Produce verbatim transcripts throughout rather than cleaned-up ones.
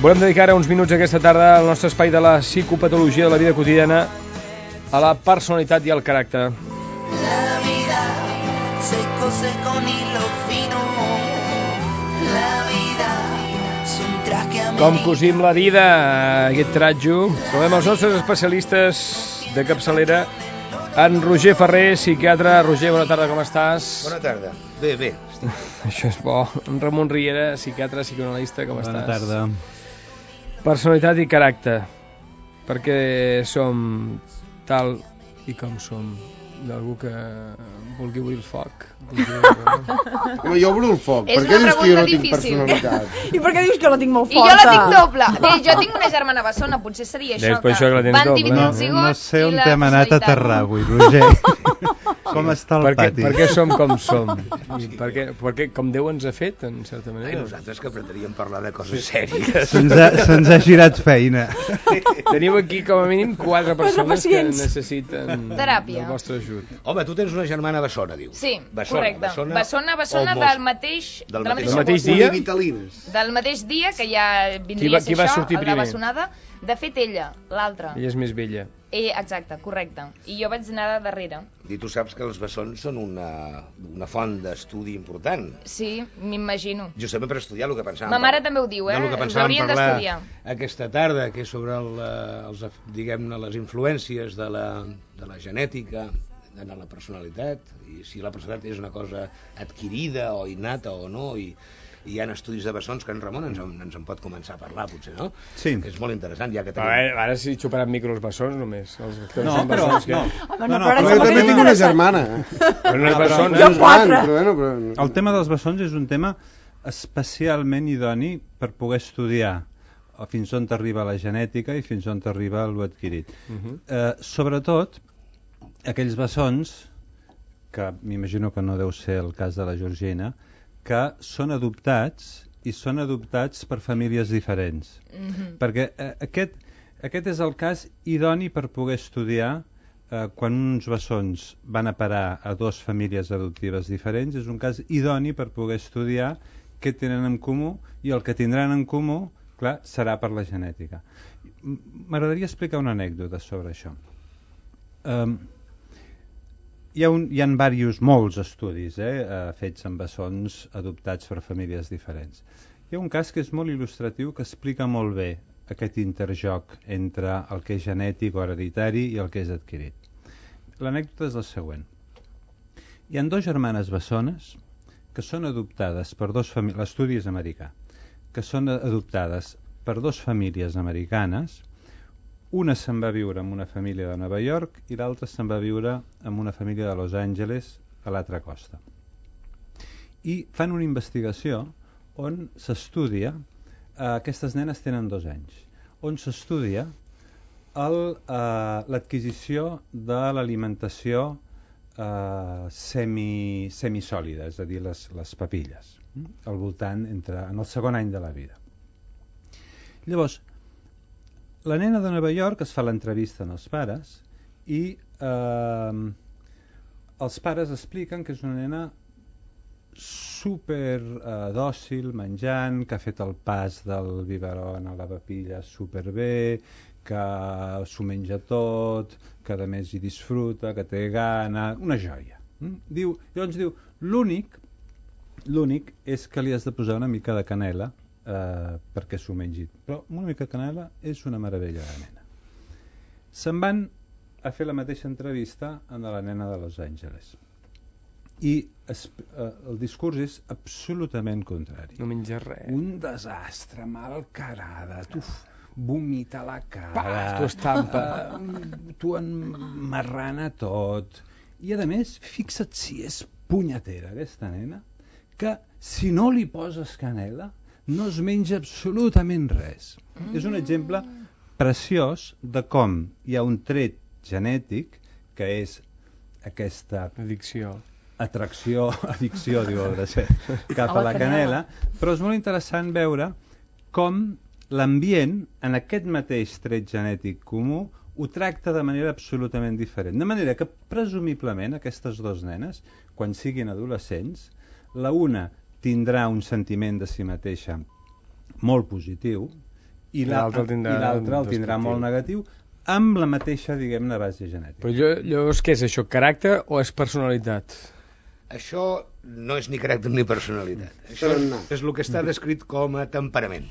Volem dedicar ara uns minuts aquesta tarda al nostre espai de la psicopatologia de la vida quotidiana a la personalitat i al caràcter. La vida se cose con hilo fino. La vida es un traje a Com cosim la vida, aquest tratjo. Saludem els nostres especialistes de capçalera. En Roger Ferrer, psiquiatre. Roger, bona tarda, com estàs? Bona tarda. Bé, bé. Això és bo. En Ramon Riera, psiquiatre, psicoanalista, com bona estàs? Bona tarda. Personalitat i caràcter. Per què som tal i com som? D'algú que vulgui obrir el foc? Home, jo obro el foc. És per què una dius que jo no pregunta tinc difícil. personalitat? I per què dius que la tinc molt I forta? jo la tinc doble. Bé, jo tinc una germana bessona, potser seria això. Des per això que la tens van doble. dividint No, el zigot no sé on i la t'hem anat a personalitat. aterrar avui, Roger. Com està el per, què, pati? per què som com som? I per què, per què, com Déu ens ha fet, en certa Ai, manera? nosaltres que pretendíem parlar de coses sèries. Se'ns ha, se'ns ha girat feina. Teniu aquí com a mínim quatre persones que pacients. necessiten Teràpia. el vostre ajut. Home, tu tens una germana bessona, dius. Sí, Bessona, correcte. Bessona, Bessona, bessona o del mos- mateix, Del de la mateix, mateixa mateix bossa. dia? Univitalines. Del mateix dia, que ja Qui vindria va- a ser qui va això, sortir el de primer? bessonada. De fet, ella, l'altra. Ella és més vella. Eh, exacte, correcte. I jo vaig anar de darrere. I tu saps que els bessons són una, una font d'estudi important. Sí, m'imagino. Justament per estudiar el que pensàvem. Ma mare també ho diu, eh? El que Ens pensàvem haurien parlar d'estudiar. aquesta tarda, que és sobre el, eh, els, diguem-ne, les influències de la, de la genètica en la personalitat, i si la personalitat és una cosa adquirida o innata o no, i, i hi ha estudis de bessons que en Ramon ens, en- ens en pot començar a parlar, potser, no? Sí. Que és molt interessant, ja que Però tenim... ara, ara sí xuparan micro els bessons només. Els que No, són però... bessons que... No, Home, no, no, no, però però això jo m'ha també fet tinc interessant. germana. Però no és però- bessona. Jo quatre. Però, bueno, però... El tema dels bessons és un tema especialment idoni per poder estudiar fins on t'arriba la genètica i fins on t'arriba lo adquirit. Uh -huh. eh, sobretot aquells bessons, que m'imagino que no deu ser el cas de la Georgina, que són adoptats i són adoptats per famílies diferents. Mhm. Perquè eh, aquest, aquest és el cas idoni per poder estudiar eh, quan uns bessons van a parar a dues famílies adoptives diferents. És un cas idoni per poder estudiar què tenen en comú, i el que tindran en comú, clar, serà per la genètica. M- M'agradaria explicar una anècdota sobre això. Um, hi ha, un, hi ha diversos, molts estudis eh, eh, fets amb bessons adoptats per famílies diferents. Hi ha un cas que és molt il·lustratiu, que explica molt bé aquest interjoc entre el que és genètic o hereditari i el que és adquirit. L'anècdota és la següent. Hi ha dues germanes bessones que són adoptades per dos famílies, l'estudi és americà, que són adoptades per dos famílies americanes. Una se'n va viure amb una família de Nova York i l'altra se'n va viure amb una família de Los Angeles, a l'altra costa. I fan una investigació on s'estudia, eh, aquestes nenes tenen dos anys, on s'estudia el, eh, l'adquisició de l'alimentació eh, semi, semisòlida, és a dir, les, les papilles, mm? al voltant, entre, en el segon any de la vida. Llavors, la nena de Nova York es fa l'entrevista als pares i eh, els pares expliquen que és una nena super eh, dòcil, menjant, que ha fet el pas del biberon a la papilla superbé, que s'ho menja tot, que a més hi disfruta, que té gana, una joia. Mm? Diu, llavors diu, l'únic l'únic és que li has de posar una mica de canela eh, perquè s'ho mengi, però una mica de canela és una meravella de nena. Se'n van a fer la mateixa entrevista a la nena de Los Angeles i es, eh, el discurs és absolutament contrari. No menja res. Un desastre, malcarada, tu vomita a la cara, Pa, tu estampa. eh, tu enmarrana tot, i a més fixa't si és punyetera aquesta nena, que si no li poses canela no es menja absolutament res. Mm. És un exemple preciós de com hi ha un tret genètic que és aquesta Addicció. atracció, addicció, diu el Bracet, cap a la canela, però és molt interessant veure com l'ambient, en aquest mateix tret genètic comú, ho tracta de manera absolutament diferent. De manera que, presumiblement, aquestes dues nenes, quan siguin adolescents, la una tindrà un sentiment de si mateixa molt positiu i l'altre el tindrà, i l'altre el tindrà molt negatiu, amb la mateixa, diguem-ne, base genètica. Però llavors, llavors què és això, caràcter o és personalitat? Això no és ni caràcter ni personalitat. Això és, és el que està descrit com a temperament.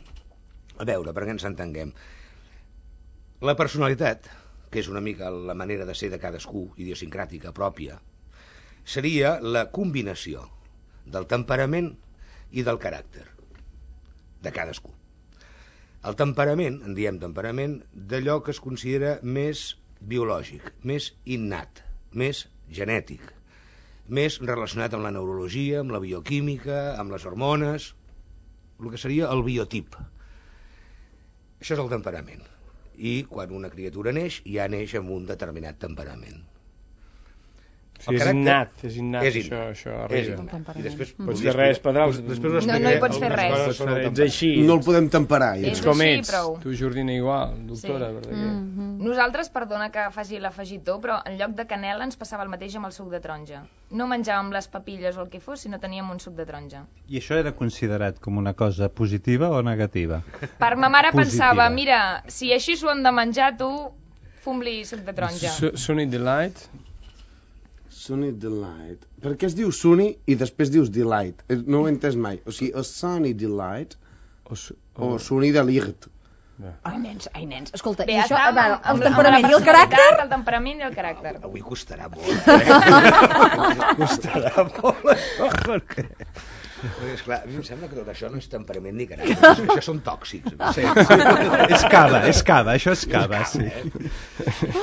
A veure, perquè ens entenguem. La personalitat, que és una mica la manera de ser de cadascú, idiosincràtica, pròpia, seria la combinació del temperament i del caràcter de cadascú. El temperament, en diem temperament, d'allò que es considera més biològic, més innat, més genètic, més relacionat amb la neurologia, amb la bioquímica, amb les hormones, el que seria el biotip. Això és el temperament. I quan una criatura neix, ja neix amb un determinat temperament. Sí, és innat, és innat, és això, innat, això arriba. I després, pots fer res, Pedrals. Després no, no hi pots fer res. Ets així. No el podem temperar. Ja. Ets com així, ets. prou. Tu, Jordina, igual, doctora. Sí. Mm -hmm. Nosaltres, perdona que faci l'afegitó, però en lloc de canela ens passava el mateix amb el suc de taronja. No menjàvem les papilles o el que fos, sinó teníem un suc de taronja. I això era considerat com una cosa positiva o negativa? Per ma mare Positiva. pensava, mira, si així s'ho han de menjar, tu fum-li suc de taronja. Sunny Delight. Sunny Delight. Per què es diu Sunny i després dius Delight? No ho he entès mai. O sigui, o Sunny Delight o, su o, o Sunny Delight. Ai, nens, ai, nens. Escolta, Bé, i això, està, a veure, amb, el temperament amb i el caràcter? El temperament i el caràcter. Avui costarà molt, eh? costarà molt, perquè... Perquè, esclar, a mi em sembla que tot això no és temperament ni caràcter, això són tòxics. Sí, és cava, és cava, això és cava, sí. Eh?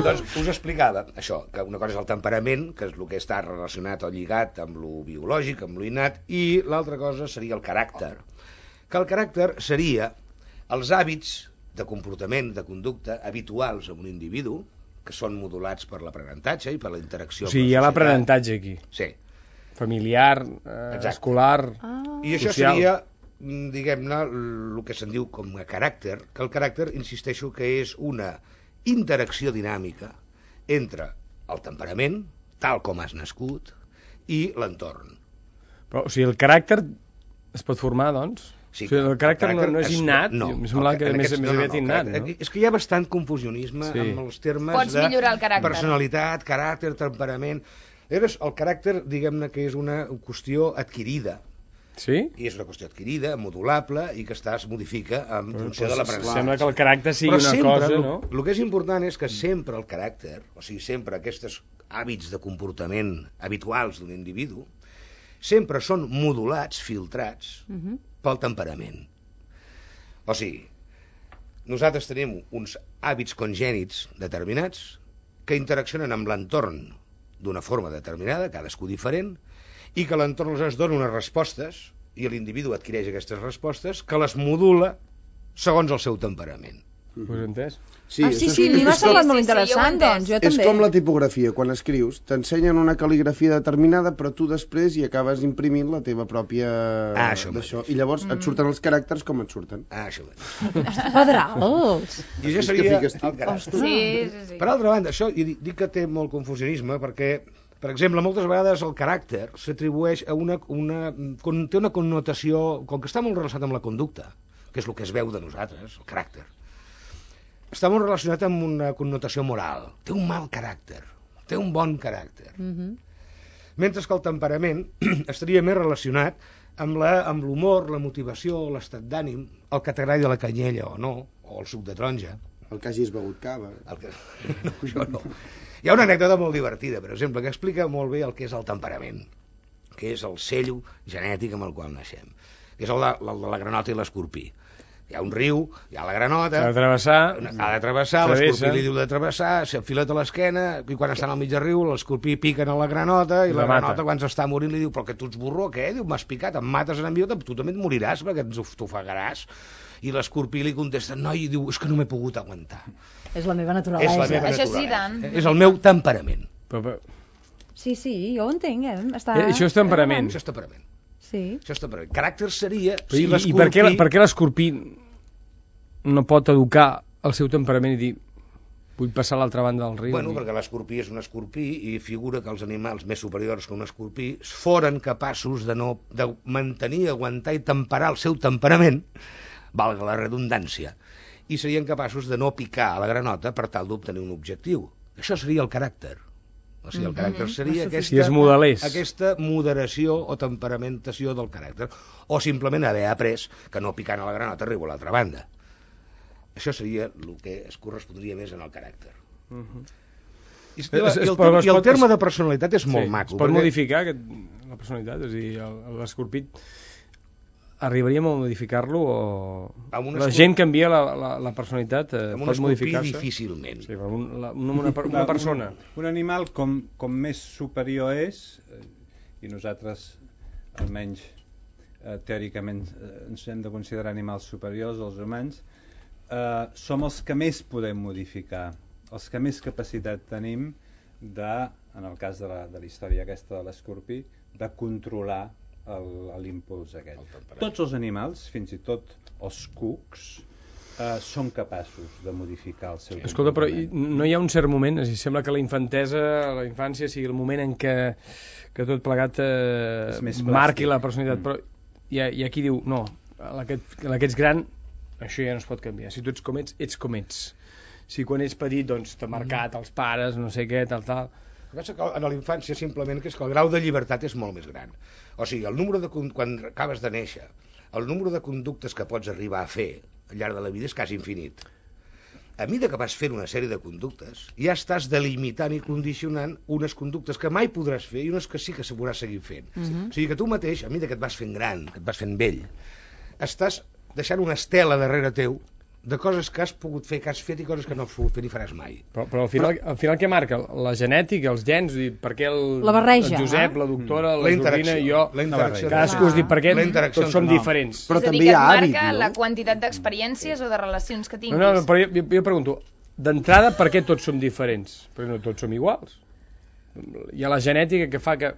Doncs us explicava això, que una cosa és el temperament, que és el que està relacionat o lligat amb lo biològic, amb lo innat, i l'altra cosa seria el caràcter. Que el caràcter seria els hàbits de comportament, de conducta, habituals en un individu, que són modulats per l'aprenentatge i per la interacció. O sigui, hi ha l'aprenentatge aquí. Sí. Familiar, eh, escolar, ah. I això social. seria, diguem-ne, el que se'n diu com a caràcter, que el caràcter, insisteixo, que és una interacció dinàmica entre el temperament, tal com has nascut, i l'entorn. Però, o sigui, el caràcter es pot formar, doncs? Sí, o sigui, el caràcter, el caràcter no, no és innat? No, em sembla que més, més aviat innat, no? És que hi ha bastant confusionisme sí. amb els termes Pots de millorar el caràcter. personalitat, caràcter, temperament. Llavors, el caràcter, diguem-ne que és una qüestió adquirida. Sí? I és una qüestió adquirida, modulable, i que està, es modifica en però, funció però, de l'aprenentatge. Sembla que el caràcter sigui però una sempre, cosa, lo, no? El que és important és que sempre el caràcter, o sigui, sempre aquests hàbits de comportament habituals d'un individu, sempre són modulats, filtrats, uh -huh. pel temperament. O sigui, nosaltres tenim uns hàbits congènits determinats que interaccionen amb l'entorn d'una forma determinada, cadascú diferent, i que l'entorn ens dona unes respostes i l'individu adquireix aquestes respostes que les modula segons el seu temperament. Ho has entès? Sí, ah, sí, sí, li m'ha semblat molt interessant, doncs, jo també. És com la tipografia, quan escrius, t'ensenyen una cal·ligrafia determinada, però tu després hi acabes imprimint la teva pròpia... Ah, això d'això. I llavors et surten els caràcters com et surten. Ah, això mateix. Pedrals! I això seria el caràcter. Sí, sí, sí. Per altra banda, això, i dic que té molt confusionisme, perquè, per exemple, moltes vegades el caràcter s'atribueix a una, una... té una connotació, com que està molt relacionat amb la conducta, que és el que es veu de nosaltres, el caràcter, està molt relacionat amb una connotació moral. Té un mal caràcter, té un bon caràcter. Uh-huh. Mentre que el temperament estaria més relacionat amb la, amb l'humor, la motivació, l'estat d'ànim, el que t'agrada la canyella o no, o el suc de taronja. El que hagis begut cava. El que... No, això no. Hi ha una anècdota molt divertida, per exemple, que explica molt bé el que és el temperament, que és el sello genètic amb el qual naixem, que és el de, el de la granota i l'escorpí. Hi ha un riu, hi ha la granota... S'ha de travessar... Ha de travessar, l'escorpí li diu de travessar, s'enfilet a l'esquena, i quan està al mig del riu, l'escorpí piquen a la granota, i la, la granota, quan s'està morint, li diu, però que tu ets burro, què? Diu, m'has picat, em mates en mi, tu també et moriràs, perquè ens t'ofegaràs. I l'escorpí li contesta, no, i diu, és que no m'he pogut aguantar. És la meva naturalesa. És la meva Això és naturalesa. Zidane. És el meu temperament. Però, però... Sí, sí, jo ho entenc, eh? Està... Eh, això és temperament. Això és temperament. Sí. Això és temperament. Caràcter seria... Però, si i, i per què, per què l'escorpí no pot educar el seu temperament i dir vull passar a l'altra banda del riu? Bueno, i... perquè l'escorpí és un escorpí i figura que els animals més superiors que un escorpí foren capaços de, no, de mantenir, aguantar i temperar el seu temperament, valga la redundància, i serien capaços de no picar a la granota per tal d'obtenir un objectiu. Això seria el caràcter. O sigui, el caràcter seria Si es aquesta, modelés. aquesta moderació o temperamentació del caràcter. O simplement haver après que no picant a la granota arribo a l'altra banda. Això seria el que es correspondria més en el caràcter. I, Es- i, la, es- i, el, però terme, es I el pot- terme de personalitat és molt Sí, maco. es pot perquè- modificar aquest, la personalitat, és a dir, el- l'escorpit arribaríem a modificar-lo o... Amb un La escorpí- gent canvia la, la, la personalitat, eh, amb un pot escorpí modificar-se. difícilment. Sí, però un, la, una, una, per- una persona. Un, un animal com, com més superior és, eh, i nosaltres almenys eh, teòricament eh, ens hem de considerar animals superiors als humans, eh, som els que més podem modificar, els que més capacitat tenim de, en el cas de la, de la història aquesta de l'escorpí, de controlar el- l'impuls aquest. Tots els animals, fins i tot els cucs, eh, són capaços de modificar el seu Escolta, però i comportament. no hi ha un cert moment, és a dir, sembla que la infantesa, la infància sigui el moment en què, que tot plegat eh, És més marqui plàstic. la personalitat, Mm. però hi ha, hi ha qui diu, no, aquest, aquest gran, això ja no es pot canviar, si tu ets com ets, ets com ets. Si quan ets petit, doncs, t'ha marcat els pares, no sé què, tal, tal. El que passa que en la infància simplement que és que el grau de llibertat és molt més gran. O sigui, el número de, con- quan acabes de néixer, el número de conductes que pots arribar a fer al llarg de la vida és quasi infinit. A mesura que vas fent una sèrie de conductes, ja estàs delimitant i condicionant unes conductes que mai podràs fer i unes que sí que se podràs seguir fent. Mhm. O sigui que tu mateix, a mesura que et vas fent gran, que et vas fent vell, estàs deixant una estela darrere teu de coses que has pogut fer, que has fet i coses que no has pogut fer ni faràs mai. Però, però al final, al final què marca? La genètica, els gens, dir, per què el, La barreja, el Josep, eh? la doctora, La la interacció, Jordina i jo, la interacció. cadascú es diu per què La interacció tots som entre- diferents. Però és a dir, també que hi ha et hàbit, marca no? la quantitat d'experiències o de relacions que No, tinguis. no, no, però jo, jo pregunto, d'entrada, per què tots som diferents? Perquè no tots som iguals. Hi ha la genètica que fa que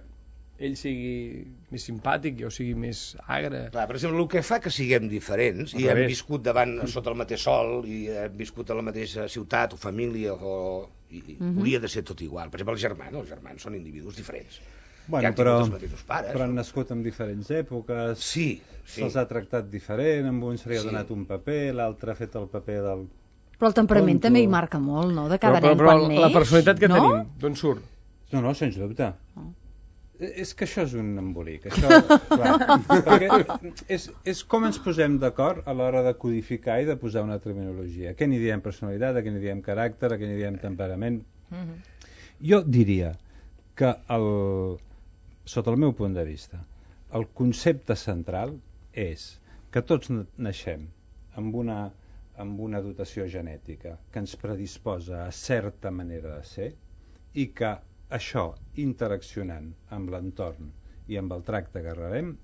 ell sigui més simpàtic, jo sigui més agre. Clar, per exemple, el que fa que siguem diferents Al i hem revés. viscut davant sota el mateix sol i hem viscut a la mateixa ciutat o família o... I, i Mhm. hauria de ser tot igual. Per exemple, els germans, els germans són individus diferents. Bueno, que han però, tingut els mateixos pares. però han o- nascut en diferents èpoques, Sí, sí. se'ls ha tractat diferent, amb un se li ha Sí. donat un paper, l'altre ha fet el paper del... Però el temperament Tonto. també hi marca molt, no?, de cada Però, però, nen però quan neix. la personalitat que no? tenim, d'on surt? No, no, sens dubte. Oh. És que això és un embolic. Això, clar, perquè és, és com ens posem d'acord a l'hora de codificar i de posar una terminologia. A què n'hi diem personalitat, a què n'hi diem caràcter, a què n'hi diem temperament. Mhm. Jo diria que, el, sota el meu punt de vista, el concepte central és que tots na- naixem amb una, amb una dotació genètica que ens predisposa a certa manera de ser i que això, interaccionant amb l'entorn i amb el tracte que rebem,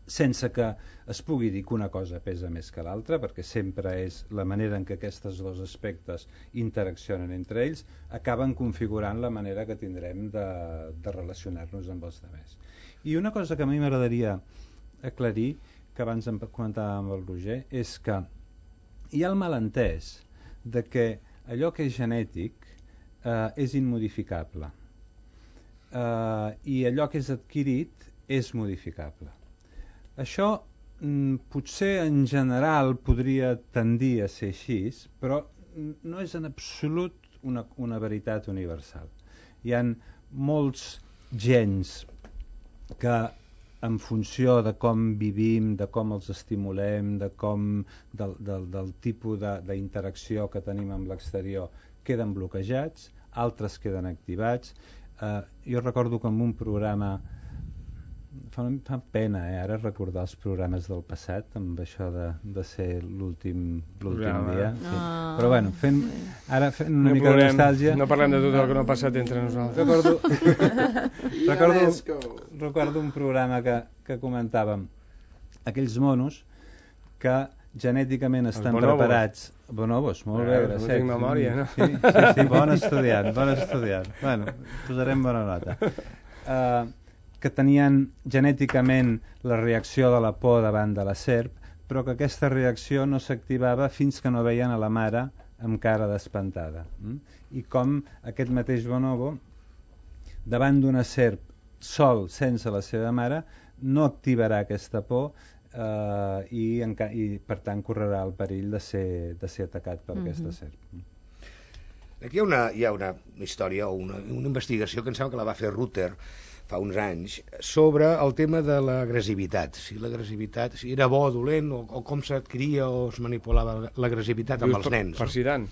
sense que es pugui dir que una cosa pesa més que l'altra, perquè sempre és la manera en què aquests dos aspectes interaccionen entre ells, acaben configurant la manera que tindrem de, de relacionar-nos amb els altres. I una cosa que a mi m'agradaria aclarir, que abans em comentava amb el Roger, és que hi ha el malentès de que allò que és genètic eh, és immodificable eh, i allò que és adquirit és modificable. Això mm, potser en general podria tendir a ser així, però mm, no és en absolut una, una veritat universal. Hi han molts gens que en funció de com vivim, de com els estimulem, de com, del, del, del tipus de- d'interacció que tenim amb l'exterior, queden bloquejats, altres queden activats. Eh, jo recordo que en un programa, fa, fa pena eh, ara recordar els programes del passat, amb això de, de ser l'últim l'últim Programa. dia. Sí. Ah. Però bueno, fent, ara fent una No, mica de parlem, nostàlgia... no parlem de tot el que no ha passat entre nosaltres. Recordo, recordo, Ionesco. recordo un programa que, que comentàvem aquells monos que genèticament estan bonobos. preparats. Bonobos, molt bé, Eh, no gràcies. tinc memòria, no? Sí, sí, sí, bon estudiant, bon estudiant. Bueno, posarem bona nota. Uh, que tenien genèticament la reacció de la por davant de la serp, però que aquesta reacció no s'activava fins que no veien a la mare amb cara d'espantada. Mm? I com aquest mateix bonobo, davant d'una serp sol, sense la seva mare, no activarà aquesta por uh, i, i per tant correrà el perill de ser, de ser atacat per mm-hmm. aquesta serp. Aquí hi ha una, hi ha una història o una, una investigació que em sembla que la va fer Rutter fa uns anys, sobre el tema de l'agressivitat. Si l'agressivitat si era bo o dolent, o, o com s'adquiria o es manipulava l'agressivitat amb els nens. Per Zidane.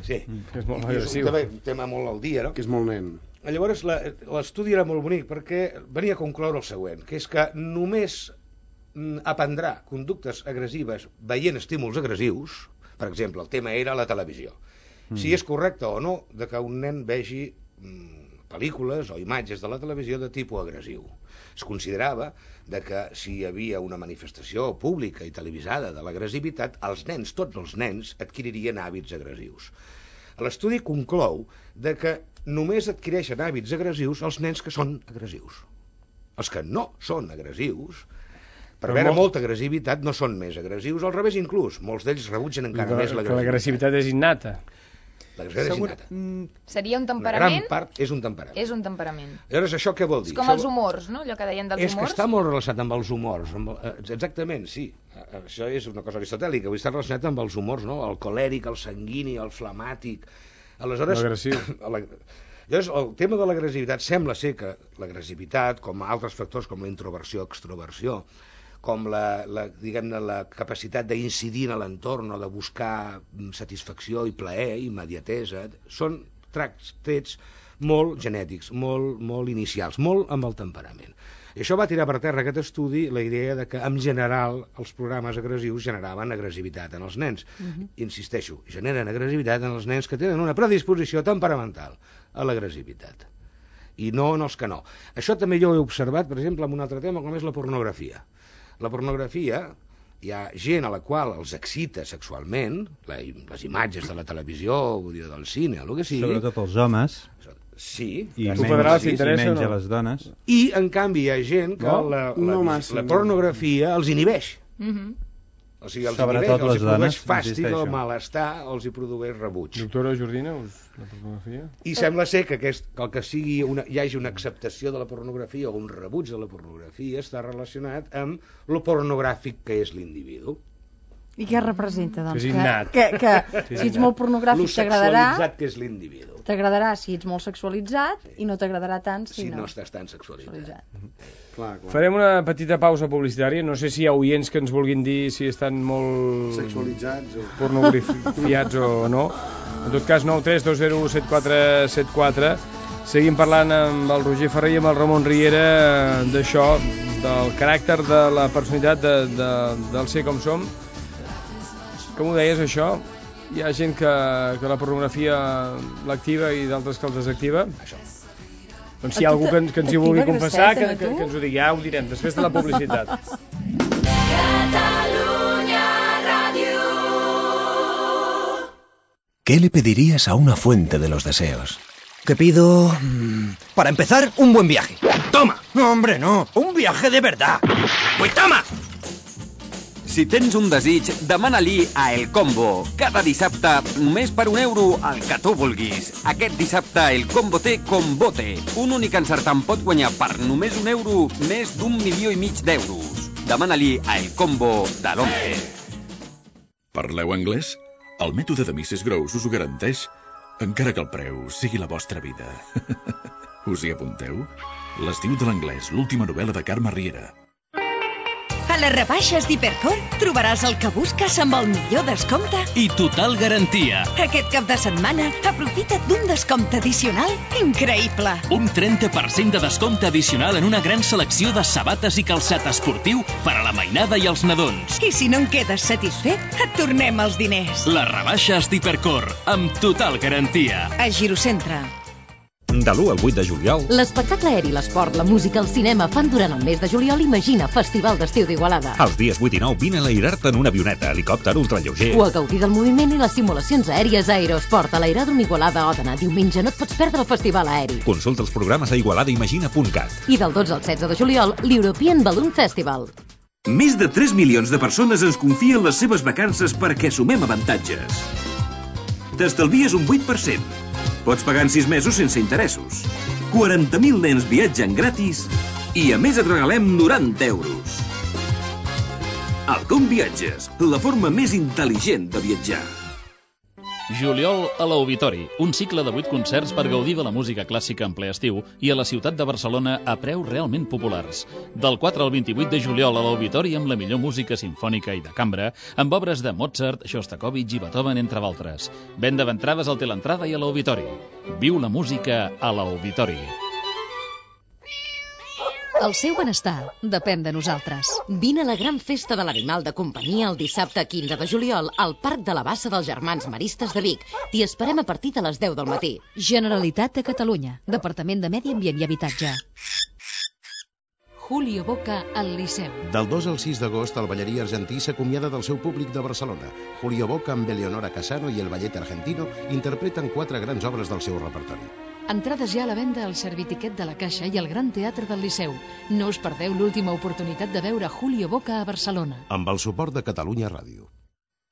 Sí. És molt agressiu. És un tema, un tema molt al dia, no? Que és molt nen. Llavors, l'estudi era molt bonic perquè venia a concloure el següent, que és que només aprendrà conductes agressives veient estímuls agressius, per exemple, el tema era la televisió. Mm. Si és correcte o no de que un nen vegi pel·lícules o imatges de la televisió de tipus agressiu. Es considerava de que si hi havia una manifestació pública i televisada de l'agressivitat, els nens, tots els nens, adquiririen hàbits agressius. L'estudi conclou de que només adquireixen hàbits agressius els nens que són agressius. Els que no són agressius, per Però veure molt... molta agressivitat, no són més agressius, al revés inclús, molts d'ells rebutgen encara que, més l'agressivitat. Que l'agressivitat és innata. L'agressivitat és innata. Seria un Una temperament? gran part és un temperament. És un temperament. Llavors, això què vol dir? És com Això... els humors, no? Allò que deien dels és humors. És que està molt relacionat amb els humors. Amb... Exactament, sí. Això és una cosa aristotèlica. Avui està relacionat amb els humors, no? El colèric, el sanguini, el flamàtic. Aleshores... L'agressiu. Llavors, el tema de l'agressivitat sembla ser que l'agressivitat, com altres factors com la introversió, extroversió, com la, la, diguem-ne, la capacitat d'incidir en l'entorn o de buscar satisfacció i plaer, immediatesa, són trets molt genètics, molt, molt inicials, molt amb el temperament. I això va tirar per terra aquest estudi la idea de que, en general, els programes agressius generaven agressivitat en els nens. Uh-huh. Insisteixo, generen agressivitat en els nens que tenen una predisposició temperamental a l'agressivitat. I no en els que no. Això també jo ho he observat, per exemple, amb un altre tema, com és la pornografia. La pornografia, hi ha gent a la qual els excita sexualment, la, les imatges de la televisió, vull dir, del cine, el que sigui. Sobretot els homes. Sí. I menys, menys, i menys no? a les dones. I, en canvi, hi ha gent que no? la, la, No la, la pornografia els inhibeix. Mhm. O sigui, els Sobretot inhibeix, els les hi produeix dones, fàstic, insisteixo. el malestar, els hi produeix rebuig. Doctora Jordina, us... la pornografia? I sembla ser que, aquest, que el que sigui una, hi hagi una acceptació de la pornografia o un rebuig de la pornografia està relacionat amb lo pornogràfic que és l'individu. I què representa, doncs? És innat. Que, que, que si ets molt pornogràfic Lo t'agradarà, sexualitzat que és l'individu. t'agradarà si ets molt sexualitzat i no t'agradarà tant si, Si no. no estàs tan sexualitzat. Clar, clar. Farem una petita pausa publicitària. No sé si hi ha oients que ens vulguin dir si estan molt Sexualitzats o... pornografiats o no. En tot cas, nou tres dos zero set quatre set quatre. Seguim parlant amb el Roger Ferrer i amb el Ramon Riera d'això, del caràcter, de la personalitat de, de, del ser com som. Com ho deies, això? Hi ha gent que, que la pornografia l'activa i d'altres que el desactiva? Això. Doncs si hi ha algú que, que ens hi vulgui Activa confessar, que, grasseta, que, no, tu? que ens ho digui. Ja ho direm, després de la publicitat. Cataluña Radio. ¿Qué le pedirías a una fuente de los deseos? Que pido... mmm, para empezar, un buen viaje. ¡Toma! No, hombre, no. Un viaje de verdad. ¡Pues toma! Si tens un desig, demana-li a El Combo. Cada dissabte, només per un euro, el que tu vulguis. Aquest dissabte, El Combo té Combote. Un únic encertant pot guanyar per només un euro més d'un milió i mig d'euros. Demana-li a El Combo de l'Once. Parleu anglès? El mètode de missus Gross us ho garanteix, encara que el preu sigui la vostra vida. Us hi apunteu? L'estiu de l'anglès, l'última novel·la de Carme Riera. A les rebaixes d'Hipercor trobaràs el que busques amb el millor descompte i total garantia. Aquest cap de setmana aprofita't d'un descompte addicional increïble. Un trenta per cent de descompte addicional en una gran selecció de sabates i calçat esportiu per a la mainada i els nadons. I si no en quedes satisfet, et tornem els diners. Les rebaixes d'Hipercor, amb total garantia. A Girocentre. De l'u al vuit de juliol. L'espectacle aeri, l'esport, la música, el cinema fan durant el mes de juliol Imagina, Festival d'Estiu d'Igualada. Els dies vuit i nou vine a enlairar-te en una avioneta, helicòpter ultralleuger. O a gaudir del moviment i les simulacions aèries a Aerosport a l'aeròdrom Igualada Òdena. Diumenge no et pots perdre el festival aeri. Consulta els programes a igualada imagina punt cat. I del dotze al setze de juliol, l'European Balloon Festival. Més de tres milions de persones ens confien les seves vacances perquè sumem avantatges. T'estalvies un vuit per cent. Pots pagar en sis mesos sense interessos. quaranta mil nens viatgen gratis i a més et regalem noranta euros. Alcom Viatges, la forma més intel·ligent de viatjar. Juliol a l'Auditori, un cicle de vuit concerts per gaudir de la música clàssica en ple estiu i a la ciutat de Barcelona a preus realment populars. Del quatre al vint-i-vuit de juliol a l'Auditori amb la millor música simfònica i de cambra, amb obres de Mozart, Shostakovich i Beethoven, entre d'altres. Venda d'entrades al Teleentrada i a l'Auditori. Viu la música a l'Auditori. El seu benestar depèn de nosaltres. Vine a la gran festa de l'animal de companyia el dissabte quinze de juliol al Parc de la Bassa dels Germans Maristes de Vic. T'hi esperem a partir de les deu del matí. Generalitat de Catalunya. Departament de Medi Ambient i Habitatge. Julio Boca al Liceu. Del dos al sis d'agost, el ballarí argentí s'acomiada del seu públic de Barcelona. Julio Boca amb Eleonora Casano i el ballet argentino interpreten quatre grans obres del seu repertori. Entrades ja a la venda al Servitiquet de la Caixa i al Gran Teatre del Liceu. No us perdeu l'última oportunitat de veure Julio Boca a Barcelona. Amb el suport de Catalunya Ràdio.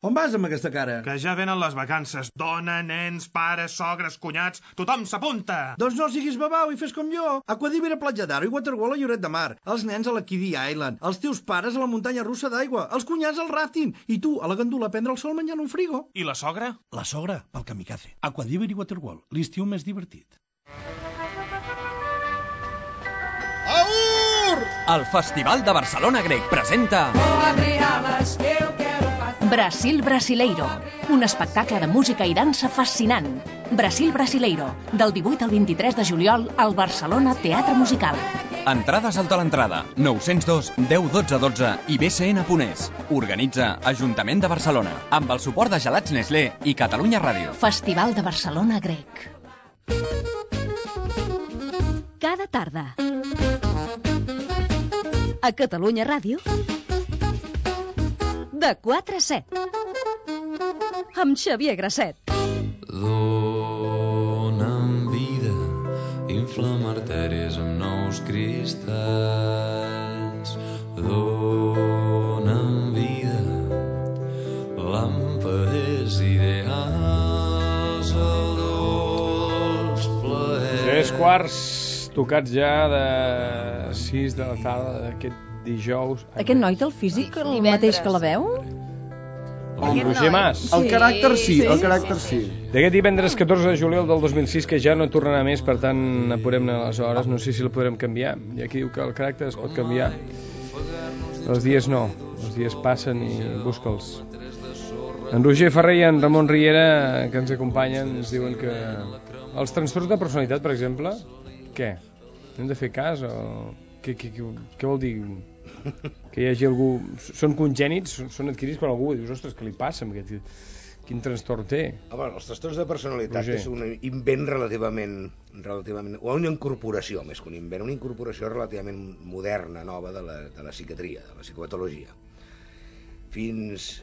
On vas amb aquesta cara? Que ja venen les vacances. Dona, nens, pares, sogres, cunyats... Tothom s'apunta! Doncs no siguis babau i fes com jo. Aquadívera Platja d'Aro i Waterwall a Lloret de Mar. Els nens a la Kiddie Island. Els teus pares a la muntanya russa d'aigua. Els cunyats al rafting. I tu a la gandula a prendre el sol menjant un frigo. I la sogra? La sogra, pel kamikaze. Aquadívera i Waterwall. L'estiu més divertit. Aur! El Festival de Barcelona Grec presenta... Brasil Brasileiro, un espectacle de música i dansa fascinant. Brasil Brasileiro, del divuit al vint-i-tres de juliol al Barcelona Teatre Musical. Entrades al Teleentrada, nou zero dos, deu, dotze, dotze i B C N punt es. Organitza Ajuntament de Barcelona, amb el suport de Gelats Nestlé i Catalunya Ràdio. Festival de Barcelona Grec. Cada tarda. A Catalunya Ràdio. De quatre a set. Amb Xavier Grasset. Dóna'm vida, inflama artèries amb nous cristalls. Dóna'm vida, làmpades ideals, el dolç plaer. Tres quarts tocats ja de sis de la tarda d'aquest dijous. Aquest noi té el físic el mateix que la veu? El Roger Mas. El caràcter sí, el caràcter sí. D'aquest divendres catorze de juliol del dos mil sis, que ja no tornarà més, per tant apurem-ne les hores, no sé si el podrem canviar. I aquí diu que el caràcter es pot canviar. Els dies no, els dies passen i busca'ls. En Roger Ferrer i en Ramon Riera, que ens acompanyen, ens diuen que els trastorns de personalitat, per exemple, què? Hem de fer cas o... Què, què, què, què vol dir? Que hi hagi algú... Són congènits? Són adquirits per algú? Dius, ostres, què li passa? Quin trastorn té? Ah, bueno, els trastorns de personalitat Roger. És un invent relativament, relativament... O una incorporació, més que un invent, una incorporació relativament moderna, nova, de la, de la psiquiatria, de la psicopatologia. Fins...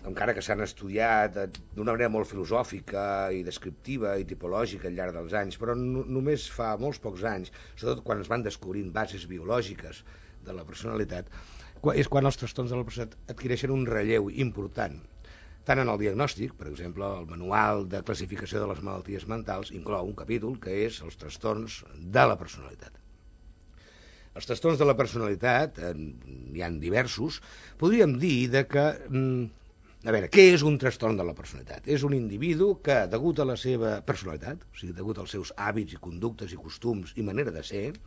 encara que s'han estudiat d'una manera molt filosòfica i descriptiva i tipològica al llarg dels anys, però no, només fa molts pocs anys, sobretot quan es van descobrint bases biològiques de la personalitat, és quan els trastorns de la personalitat adquireixen un relleu important. Tant en el diagnòstic, per exemple, el manual de classificació de les malalties mentals inclou un capítol que és els trastorns de la personalitat. Els trastorns de la personalitat, n'hi ha diversos, podríem dir de que... A veure, què és un trastorn de la personalitat? És un individu que, degut a la seva personalitat, o sigui, degut als seus hàbits i conductes i costums i manera de ser,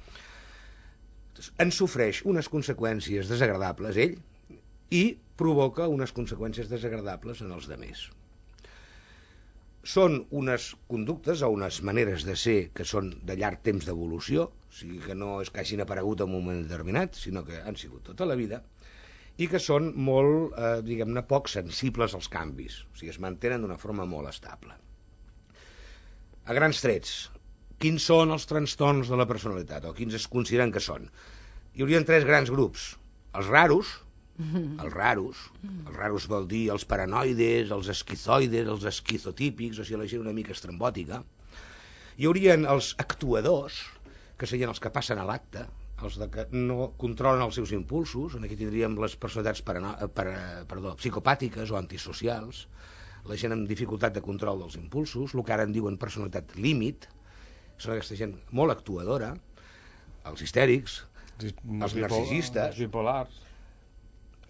en sofreix unes conseqüències desagradables, ell, i provoca unes conseqüències desagradables en els demés. Són unes conductes o unes maneres de ser que són de llarg temps d'evolució, o sigui que no és que hagin aparegut en un moment determinat, sinó que han sigut tota la vida, i que són molt, eh, diguem-ne, poc sensibles als canvis, o sigui, es mantenen d'una forma molt estable. A grans trets, quins són els trastorns de la personalitat, o quins es consideren que són? Hi haurien tres grans grups. Els raros, els raros, els raros vol dir els paranoides, els esquizoides, els esquizotípics, o sigui, la gent una mica estrambòtica. Hi haurien els actuadors, que serien els que passen a l'acte, els de que no controlen els seus impulsos. Aquí tindríem les personalitats parano... per... perdó, psicopàtiques o antisocials, la gent amb dificultat de control dels impulsos, el que ara en diuen personalitat límit, són aquesta gent molt actuadora, els histèrics, els narcisistes, els bipolars,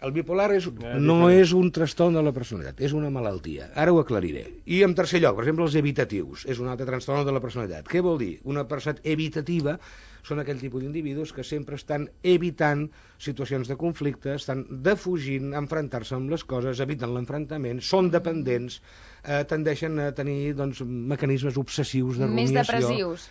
El bipolar és, no és un trastorn de la personalitat, és una malaltia. Ara ho aclariré. I en tercer lloc, per exemple, els evitatius. És un altre trastorn de la personalitat. Què vol dir? Una persona evitativa són aquell tipus d'individus que sempre estan evitant situacions de conflicte, estan defugint, enfrontar-se amb les coses, eviten l'enfrontament, són dependents, eh, tendeixen a tenir doncs, mecanismes obsessius de rumiació. Més depressius.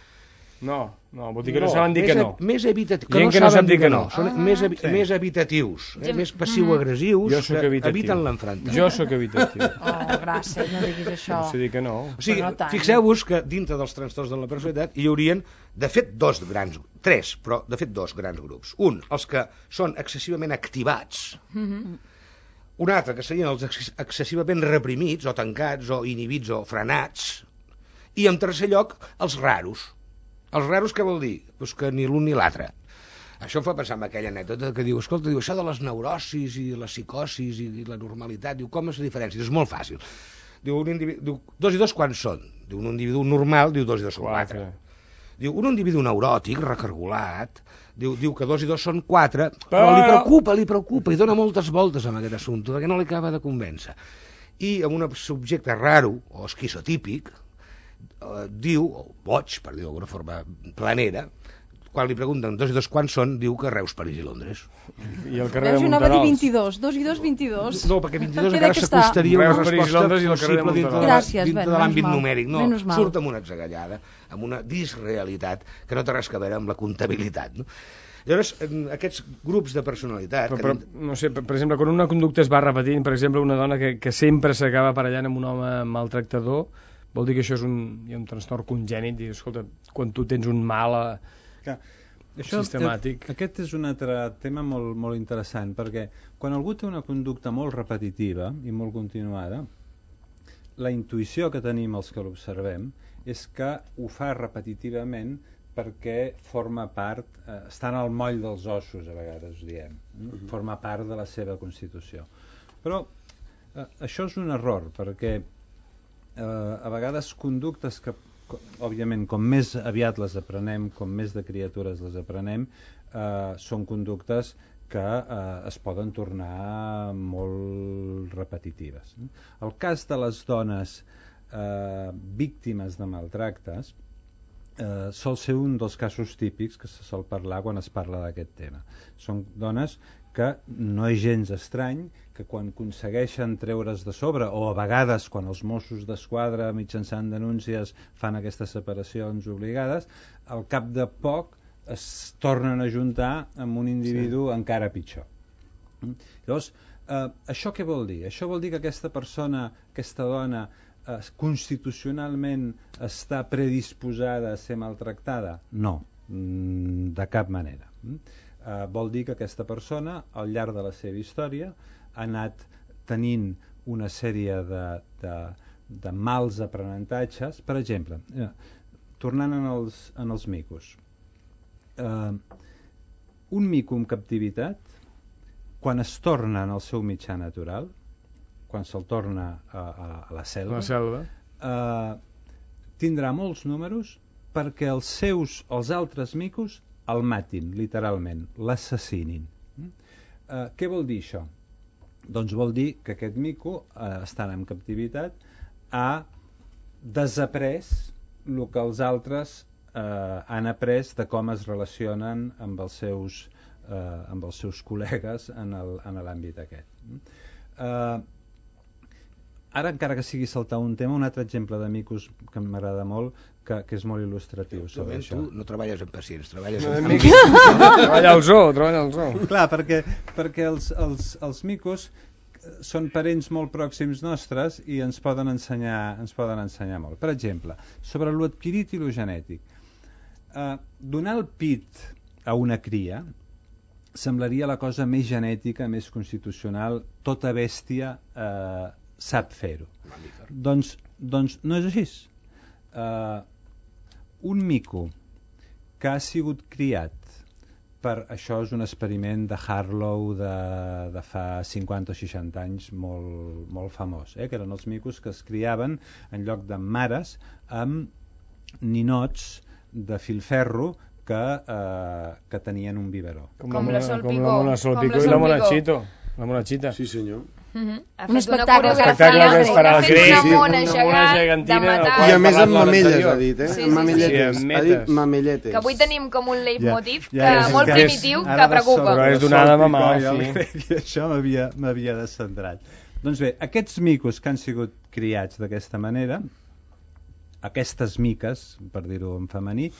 No, no, vol dir que no, no saben dir que no. Més evitatius, que no, que no saben dir que no. Són ah, més, evi sí. més evitatius, eh, més passiu-agressius, que evitatiu. Eviten l'enfrontament. Jo sóc evitatiu. Oh, gràcies, no diguis això. No sé dir que no. O sigui, no fixeu-vos que dintre dels trastorns de la personalitat hi haurien, de fet, dos grans, tres, però de fet dos grans grups. Un, els que són excessivament activats, mm-hmm. un altre que serien els excessivament reprimits o tancats o inhibits o frenats, i en tercer lloc els raros. Els raros què vol dir? Pues que ni l'un ni l'altre. Això em fa pensar en aquella anècdota que diu, escolta, diu, això de les neurosis i la psicosis i la normalitat, diu, com és la diferència? Diu, és molt fàcil. Diu, un individu, diu, dos i dos quan són? Diu, un individu normal, diu, dos i dos són quatre. Diu, un individu neuròtic, recargolat, diu, diu que dos i dos són quatre, però li preocupa, li preocupa, i dona moltes voltes amb aquest assumpte, perquè no li acaba de convèncer. I amb un subjecte raro, o esquizotípic, Uh, diu, o boig, per dir-ho d'alguna forma planera, quan li pregunten dos i dos quants són, diu que Reus, París i Londres. I el carrer de Montarols. Jo anava a dir vint-i-dos, dos i dos, vint-i-dos. No, perquè vint-i-dos encara s'acostaria una resposta possible dintre, Gràcies, dintre de l'àmbit numèric. No, mal. Surt amb una exagallada, amb una disrealitat que no té res a veure amb la comptabilitat, no? Llavors, aquests grups de personalitat... Però, però no sé, per, per exemple, quan una conducta es va repetint, per exemple, una dona que, que sempre s'acaba aparellant amb un home maltractador, vol dir que això és un, hi ha un trastorn congènit i, escolta, quan tu tens un mal a... Clar, això, sistemàtic... Aquest és un altre tema molt, molt interessant, perquè quan algú té una conducta molt repetitiva i molt continuada, la intuïció que tenim els que l'observem és que ho fa repetitivament perquè forma part, eh, està en el moll dels ossos, a vegades diem, mm? forma part de la seva constitució. Però eh, això és un error, perquè Uh, a vegades conductes que, òbviament, com més aviat les aprenem, com més de criatures les aprenem, uh, són conductes que uh, es poden tornar molt repetitives. El cas de les dones uh, víctimes de maltractes uh, sol ser un dels casos típics que se sol parlar quan es parla d'aquest tema. Són dones que no és gens estrany que quan aconsegueixen treure's de sobre, o a vegades quan els Mossos d'Esquadra mitjançant denúncies fan aquestes separacions obligades, al cap de poc es tornen a juntar amb un individu sí. encara pitjor. Llavors, eh, això què vol dir? Això vol dir que aquesta persona, aquesta dona, eh, constitucionalment està predisposada a ser maltractada? No, de cap manera. Uh, vol dir que aquesta persona al llarg de la seva història ha anat tenint una sèrie de, de, de mals aprenentatges. Per exemple, eh, tornant en els, en els micos, uh, un mico en captivitat, quan es torna en el seu mitjà natural, quan se'l torna a, a, a la selva, la selva. Uh, tindrà molts números perquè els seus, els altres micos el matin, literalment, l'assassinin. Uh, què vol dir això? Doncs vol dir que aquest mico, uh, estant en captivitat, ha desaprès el que els altres uh, han après de com es relacionen amb els seus, uh, amb els seus col·legues en l'àmbit aquest. Uh, Ara, encara que sigui saltar un tema, un altre exemple de micos que m'agrada molt, que, que és molt il·lustratiu sobre això. Tu no treballes amb pacients, treballes no, amb... micos. Treballa al zoo, treballa al zoo. Clar, perquè, perquè els, els, els micos són parents molt pròxims nostres i ens poden ensenyar, ens poden ensenyar molt. Per exemple, sobre l'adquirit i lo genètic. Eh, donar el pit a una cria semblaria la cosa més genètica, més constitucional, tota bèstia eh, sap fer-ho. Doncs, doncs no és així. Uh, un mico que ha sigut criat per, això és un experiment de Harlow de, de fa cinquanta o seixanta anys molt, molt famós, eh? que eren els micos que es criaven en lloc de mares amb ninots de filferro que, eh, que tenien un biberó. Com, com la Sol Picó i la Monachito. La monachita. Sí, senyor. Uh-huh. Ha Un fet una espectacle Espectacle coreografia, que es farà ha al fet grec, una sí, mona una gegant mona de gegantina, matar. I a més amb Parlar mamelles, l'anterior. ha dit, eh? Sí, sí, Amb mamelles. sí. Ha dit Metes. mamelletes. Que avui tenim com un leitmotiv Ja, ja, que és molt que és- primitiu ara que de preocupa. sobte Però és donada a sol mamar, picor, sí. i el- I això m'havia m'havia descentrat. Doncs bé, aquests micos que han sigut criats d'aquesta manera, aquestes miques, per dir-ho en femení,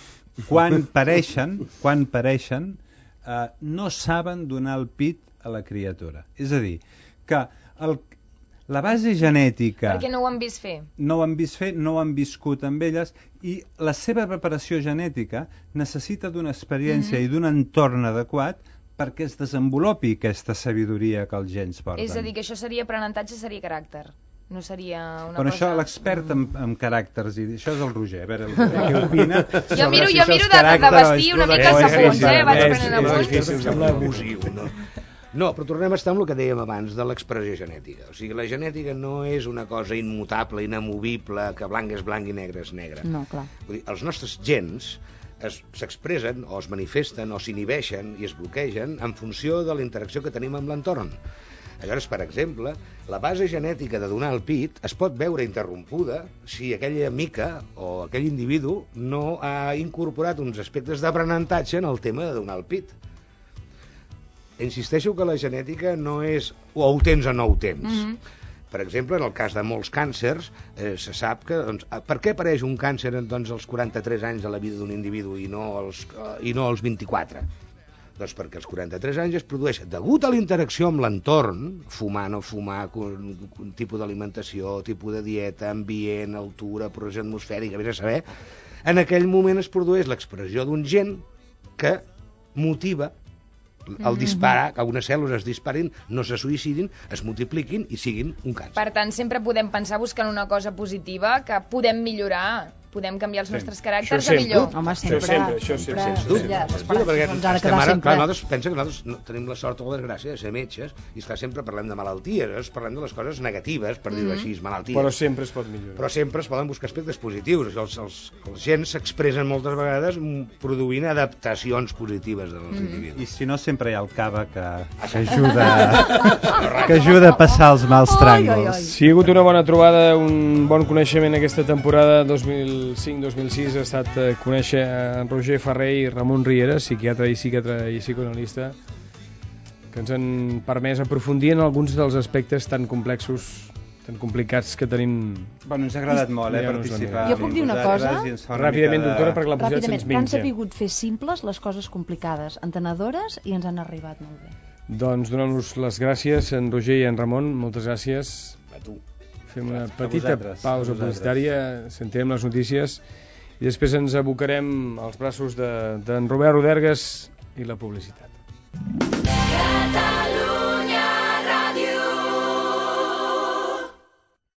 quan pareixen, quan pareixen, eh, no saben donar el pit a la criatura. És a dir, que el, la base genètica... Perquè no ho han vist fer. No ho han vist fer, no ho han viscut amb elles, i la seva preparació genètica necessita d'una experiència Mhm. i d'un entorn adequat perquè es desenvolupi aquesta sabidoria que els gens porten. És a dir, que això seria aprenentatge, seria caràcter. No seria una Però cosa... això, l'expert en, en caràcters, i això és el Roger, a veure el Roger què opina. Jo miro, jo miro de, de vestir una mica els apunts, eh? Vaig prenent apunts. Sembla abusiu, no? No, però tornem a estar amb el que dèiem abans de l'expressió genètica. O sigui, la genètica no és una cosa immutable, inamovible, que blanc és blanc i negre és negre. No, clar. Vull dir, els nostres gens es- s'expressen o es manifesten o s'inhibeixen i es bloquegen en funció de la interacció que tenim amb l'entorn. Llavors, per exemple, la base genètica de donar el pit es pot veure interrompuda si aquella mica o aquell individu no ha incorporat uns aspectes d'aprenentatge en el tema de donar el pit. Insisteixo que la genètica no és o ho tens o no ho tens. Mhm. Per exemple, en el cas de molts càncers, eh, se sap que... Doncs, per què apareix un càncer doncs, als quaranta-tres anys de la vida d'un individu i no als, i no als vint-i-quatre? Doncs perquè als quaranta-tres anys es produeix, degut a la interacció amb l'entorn, fumar, no fumar, un, un tipus d'alimentació, tipus de dieta, ambient, altura, pressió atmosfèrica, vés a saber, en aquell moment es produeix l'expressió d'un gen que motiva el disparar, que unes cèl·lules es disparin, no se suïcidin, es multipliquin i siguin un càncer. Per tant, sempre podem pensar buscant una cosa positiva que podem millorar, podem canviar els nostres caràcters a millor. Home, sempre. Això sempre, això sempre. sempre. Sens dubte, Ja, sens esperar, dubte, perquè doncs ha de estem quedar ara, sempre. clar, nosaltres pensa que nosaltres no, tenim la sort o la desgràcia de ser metges i esclar, sempre parlem de malalties, llavors parlem de les coses negatives, per dir-ho Mhm. així, malalties. Però sempre es pot millorar. Però sempre es poden buscar aspectes positius. Els, els, els gens s'expressen moltes vegades mm, produint adaptacions positives dels individus. I si no, sempre hi ha el cava que, que, ajuda, que ajuda a passar els mals tràngols. Si hi ha hagut una bona trobada, un bon coneixement aquesta temporada dos mil cinc dos mil sis ha estat eh, conèixer en Roger Ferrer i Ramon Riera, psiquiatre i psiquiatre i psicoanalista, que ens han permès aprofundir en alguns dels aspectes tan complexos, tan complicats que tenim. Bueno, ens ha agradat molt, eh, Ja no us participar. Jo puc dir una cosa? Ràpidament, doctora, perquè la publicitat Ràpidament, se'ns que han menja. sabut fer simples les coses complicades, entenedores, i ens han arribat molt bé. Doncs donem-nos les gràcies en Roger i en Ramon, moltes gràcies. A tu. Fem una A petita vosaltres, pausa a vosaltres. publicitària, sentirem les notícies i després ens abocarem als braços de- d'en Robert Rodergas i la publicitat. Catalunya.